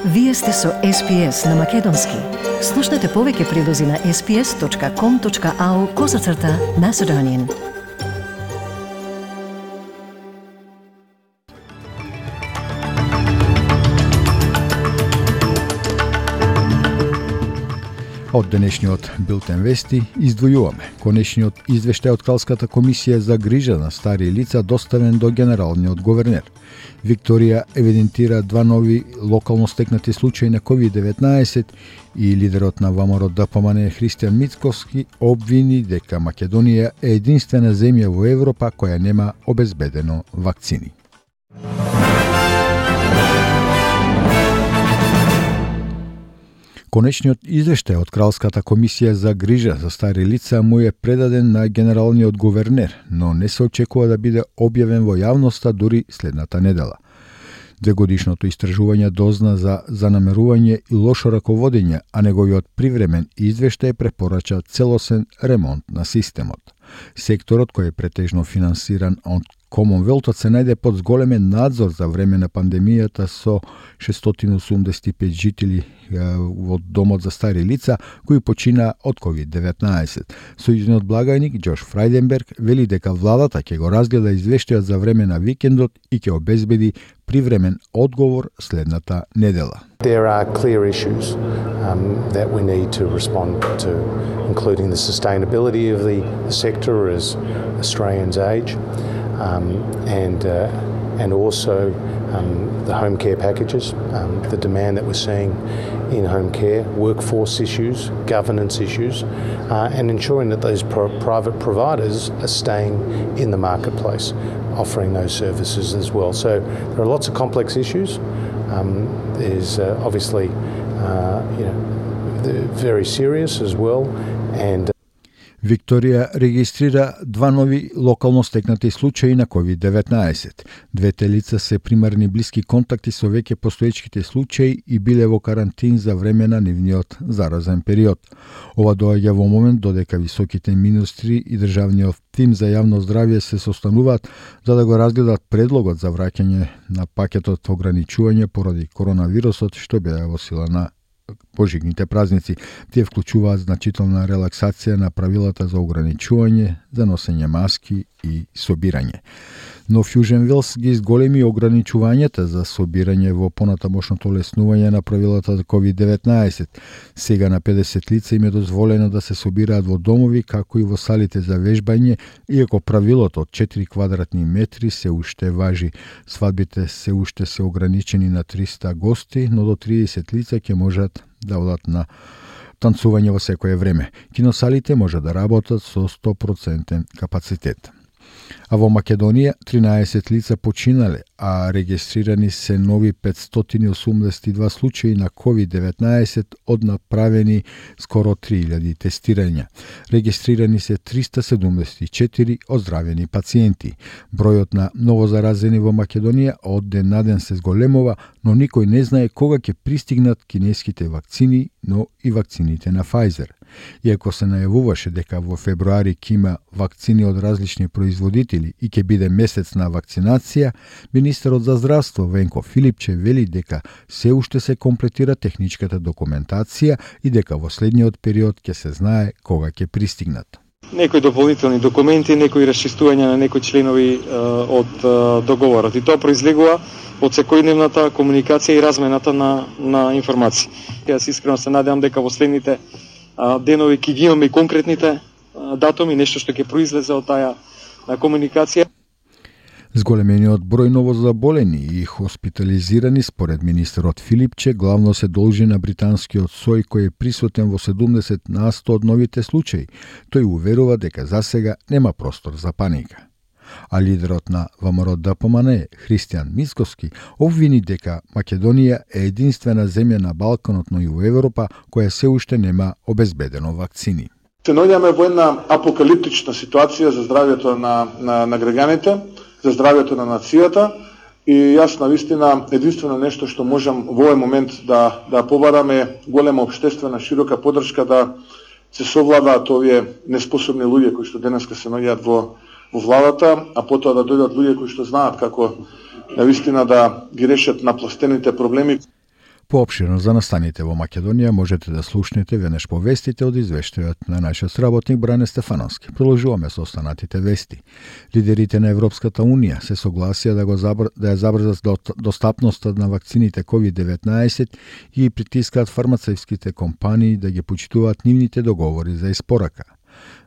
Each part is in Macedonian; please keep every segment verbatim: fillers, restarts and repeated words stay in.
Вие сте со Ес Пи Ес на Македонски. Слушнете повеќе прилози на ес пи ес точка ком точка ау козацрта Macedonian. Од денешниот билтен вести издвојуваме конечниот извештај од Кралската комисија за грижа на стари лица доставен до генералниот говернер. Викторија евидентира два нови локално стекнати случаи на ковид деветнаесет и лидерот на ВМРО Д П М Н Христијан Мицкоски обвини дека Македонија е единствена земја во Европа која нема обезбедено вакцини. Конечниот извештај од Кралската комисија за грижа за стари лица му е предаден на генералниот говернер, но не се очекува да биде објавен во јавноста дури следната недела. Двегодишното истражување дозна за занамерување и лошо раководење, а неговиот привремен извештај препорача целосен ремонт на системот. Секторот кој е претежно финансиран од Комонвелтот се најде под зголемен надзор за време на пандемијата со шестстотини осумдесет и пет жители во домот за стари лица кои почина од ковид деветнаесет. Сојузниот благајник Џош Фрајденберг вели дека владата ќе го разгледа извештајот за време на викендот и ќе обезбеди привремен одговор следната недела. There are clear issues um, that we need to respond to, including the sustainability of the sector as Australians age. Um, and uh, and also um, the home care packages, um, the demand that we're seeing in home care, workforce issues, governance issues, uh, and ensuring that those pro- private providers are staying in the marketplace, offering those services as well. So there are lots of complex issues. Um, there's uh, obviously uh, you know very serious as well, and Викторија регистрира два нови локално стекнати случаи на ковид деветнаесет. Двете лица се примарни блиски контакти со веќе постоечките случаи и биле во карантин за време на нивниот заразен период. Ова доаѓа во момент додека високите министри и државниот тим за јавно здравје се состануваат за да го разгледат предлогот за враќање на пакетот ограничување поради коронавирусот што беа во сила на Божигните празници. Тие вклучуваат значителна релаксација на правилата за ограничување, за носење маски и собирање. Но Фјужен Велс ги изголеми ограничувањата за собирање во понатамошното леснување на правилата за ковид деветнаесет. Сега на педесет лица им е дозволено да се собираат во домови, како и во салите за вежбање, иако правилото од четири квадратни метри се уште важи. Свадбите се уште се ограничени на триста гости, но до триесет лица ќе можат да одат на танцување во секое време. Киносалите може да работат со сто проценти капацитет. А во Македонија тринаесет лица починале, а регистрирани се нови петстотини осумдесет и два случаи на ковид деветнаесет од направени скоро три илјади тестирања. Регистрирани се триста седумдесет и четири оздравени пациенти. Бројот на новозаразени во Македонија од ден на ден се зголемува, но никој не знае кога ќе пристигнат кинеските вакцини, но и вакцините на Pfizer. Иако се најавуваше дека во февруари ќе има вакцини од различни производители и ќе биде месец на вакцинација, министерот за здравство Венко Филипче вели дека се уште се комплетира техничката документација и дека во следниот период ќе се знае кога ќе пристигнат. Некои дополнителни документи, некои расчистувања на некои членови е, од е, договорот. И тоа произлегува од секојдневната комуникација и размената на, на информации. Јас искрено се надевам дека во следните денови ќе ги имаме и конкретните датуми, нешто што ќе произлезе од таа комуникација. Зголемениот број новозаболени и хоспитализирани според министерот Филипче главно се должи на британскиот сој кој е присутен во седумдесет на сто од новите случаи. Тој уверува дека засега нема простор за паника. А лидерот на ВМРО Д П М Н Христијан Мицкоски обвини дека Македонија е единствена земја на Балканот, но и во Европа која се уште нема обезбедено вакцини. Се наоѓаме во една апокалиптична ситуација за здравјето на, на, на граѓаните, за здравјето на нацијата и јас навистина единствено нешто што можам во овој момент да, да побараме голема општествена широка поддршка да се совладаат овие неспособни луѓе кои што денеска се наоѓаат во во владата, а потоа да дојдат луѓе кои што знаат како навистина да ги решат напластените проблеми. Поопширно за настаните во Македонија можете да слушнете веднаш по вестите од извештајот на нашиот сработник Бране Стефановски. Продолжуваме со останатите вести. Лидерите на Европската Унија се согласија да го забр... да ја забрзат достапноста на вакцините ковид деветнаесет и притискаат фармацевтските компании да ги почитуваат нивните договори за испорака.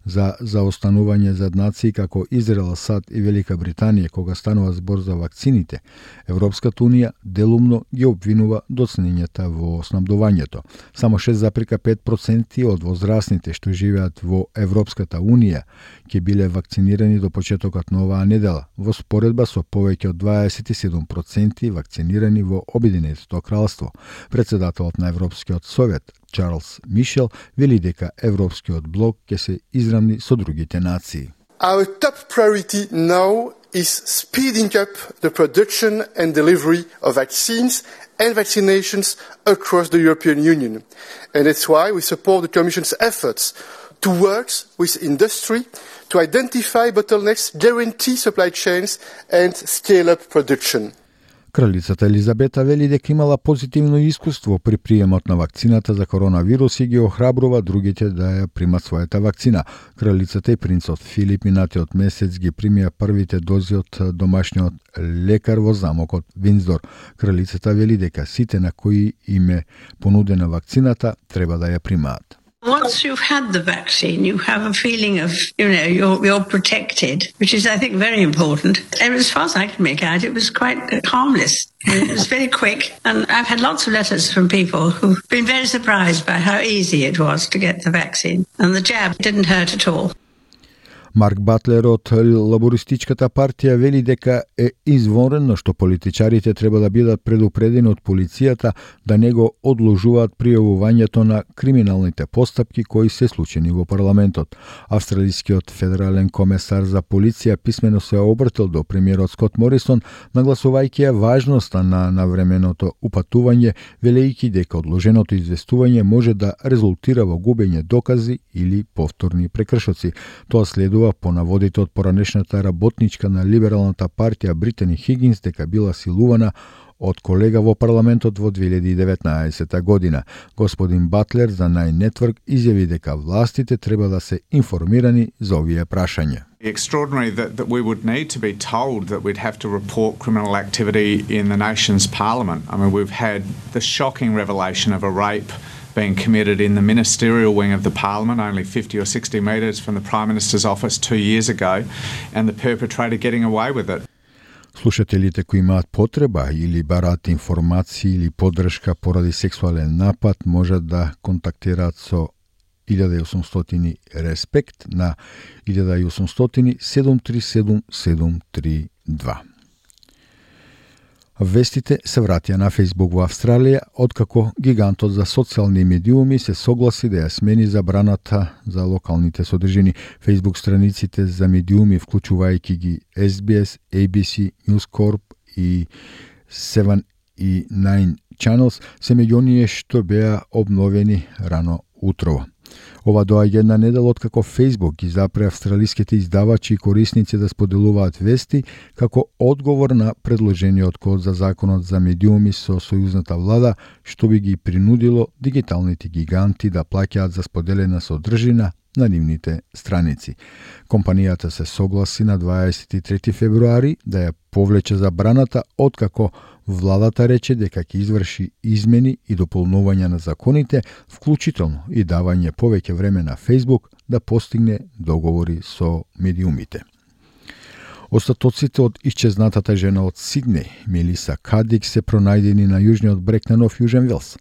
За заостанување зад нации како Израел, САД и Велика Британија кога станува збор за вакцините, Европската Унија делумно ги обвинува доцнењата во снабдувањето. Само шест зарез пет проценти од возрастните што живеат во Европската Унија ќе биле вакцинирани до почетокот на оваа недела, во споредба со повеќе од дваесет и седум проценти вакцинирани во Обединетото кралство. Председателот на Европскиот совет Чарлс Мишел вели дека Европскиот блок ќе се израмни со другите нации. Our top priority now is speeding up the production and delivery of vaccines and vaccinations across the European Union. And that's why we support the Commission's efforts to work with industry to identify bottlenecks, guarantee supply chains and scale up production. Кралицата Елизабета вели дека имала позитивно искуство при приемот на вакцината за коронавирус и ги охрабрува другите да ја примат својата вакцина. Кралицата и принцот Филип минатиот месец ги примија првите дози од домашниот лекар во замокот Виндзор. Кралицата вели дека сите на кои им е понудена вакцината треба да ја примаат. Once you've had the vaccine, you have a feeling of, you know, you're, you're protected, which is, I think, very important. And as far as I can make out, it was quite harmless. It was very quick. And I've had lots of letters from people who've been very surprised by how easy it was to get the vaccine. And the jab didn't hurt at all. Марк Батлер од Лабористичката партија вели дека е извонредно што политичарите треба да бидат предупредени од полицијата да не го одложуваат пријавувањето на криминалните постапки кои се случени во парламентот. Австралискиот федерален комесар за полиција писмено се обратил до премиерот Скот Морисон, нагласувајќи ја важноста на навременото упатување, велејќи дека одложеното известување може да резултира во губење докази или повторни прекршоци. Тоа следува по наводите од поранешната работничка на Либералната партија Британи Хигинс дека била силувана од колега во парламентот во две илјади и деветнаесета година. Господин Батлер за Nine Network изјави дека властите треба да се информирани за овие прашања. Extraordinary that, that we would need to be told that we'd have to report criminal activity in the nation's parliament. I mean, we've had the shocking revelation of a rape being committed in the ministerial wing of the parliament, only fifty or sixty metres from the Prime Minister's office two years ago, and the perpetrator getting away with it. Слушателите кои имаат потреба или бараат информации или поддршка поради сексуален напад можат да контактираат со илјада и осумстотини респект на илјада и осумстотини седум три седум седум три два. Вестите се вратија на Facebook во Австралија, откако гигантот за социјални медиуми се согласи да ја смени забраната за локалните содржини. Facebook страниците за медиуми, вклучувајќи ги Ес Би Ес, Ей Би Си, News Corp и седум и наин Channels, се меѓу оние што беа обновени рано утрово. Ова доаѓа една недела откако Facebook ги запре австралиските издавачи и корисници да споделуваат вести како одговор на предложениот код за законот за медиуми со сојузната влада, што би ги принудило дигиталните гиганти да плаќаат за споделена содржина на нивните страници. Компанијата се согласи на дваесет и трети февруари да ја повлече забраната, откако владата рече дека ќе изврши измени и дополнувања на законите, вклучително и давање повеќе време на Facebook да постигне договори со медиумите. Остатоците од исчезнатата жена од Сиднеј, Мелиса Кадик, се пронајдени на јужниот брег на Нов Јужен Велс.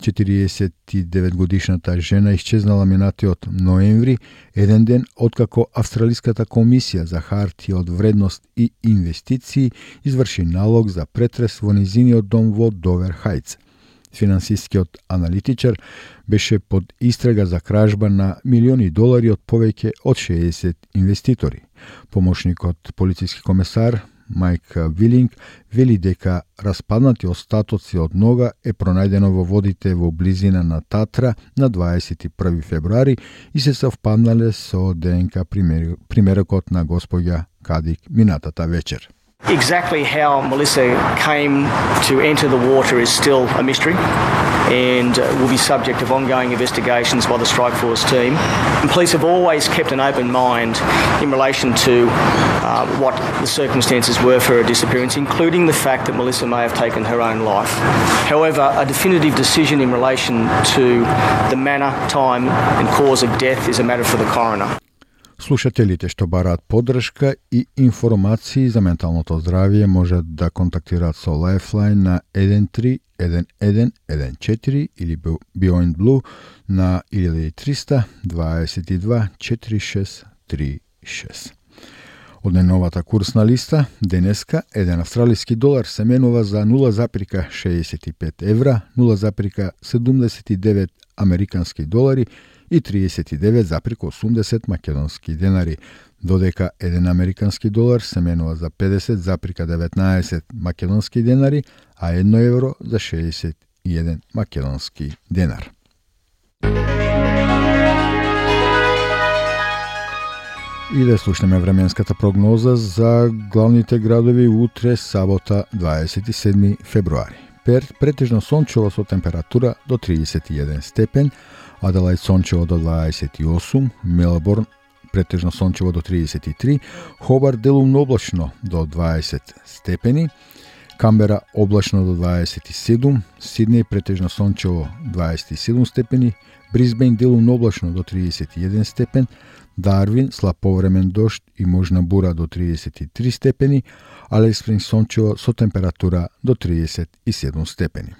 четириесет и девет годишната жена исчезнала минатиот ноември, еден ден откако Австралиската комисија за хартија од вредност и инвестиции изврши налог за претрес во низиниот дом во Довер Хајц. Финансискиот аналитичар беше под истрага за кражба на милиони долари од повеќе од шеесет инвеститори. Помошникот полициски комесар Майк Вилинг вели дека распаднати остатоци од нога е пронајдено во водите во близина на Татра на дваесет и први февруари и се совпаднале со ДНК примерокот на господја Кадик минатата вечер. Exactly how Melissa came to enter the water is still a mystery and will be subject of ongoing investigations by the Strikeforce team. And police have always kept an open mind in relation to uh, what the circumstances were for her disappearance, including the fact that Melissa may have taken her own life. However, a definitive decision in relation to the manner, time and cause of death is a matter for the coroner. Слушателите што бараат поддршка и информации за менталното здравје можат да контактираат со Lifeline на еден три еден еден еден четири или Beyond Blue на еден триста дваесет и два четири шест три шест. Од најновата курсна листа, денеска еден австралиски долар се менува за нула запирка шеесет и пет евра, нула запирка седумдесет и девет американски долари и триесет и девет запирка осумдесет македонски денари, додека еден американски долар се менува за педесет запирка деветнаесет македонски денари, а едно евро за шеесет и еден македонски денар. И да слушнеме временската прогноза за главните градови утре, сабота, дваесет и седми февруари. Перт претежно сончево со температура до триесет и еден степен, Аделаид сончево до дваесет и осум, Мелборн претежно сончево до триесет и три, Хобарт делумно облачно до дваесет степени, Камбера облачно до дваесет и седум, Сиднеј претежно сончево дваесет и седум степени, Брисбејн делумно облачно до триесет и еден степен, Дарвин слаб повремен дожд и можна бура до триесет и три степени, Алис Спрингс сончево со температура до триесет и седум степени.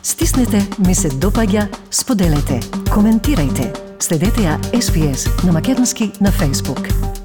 Стиснете, ми се допаѓа, споделете, коментирајте. Следете ја Ес Би Ес на македонски на Facebook.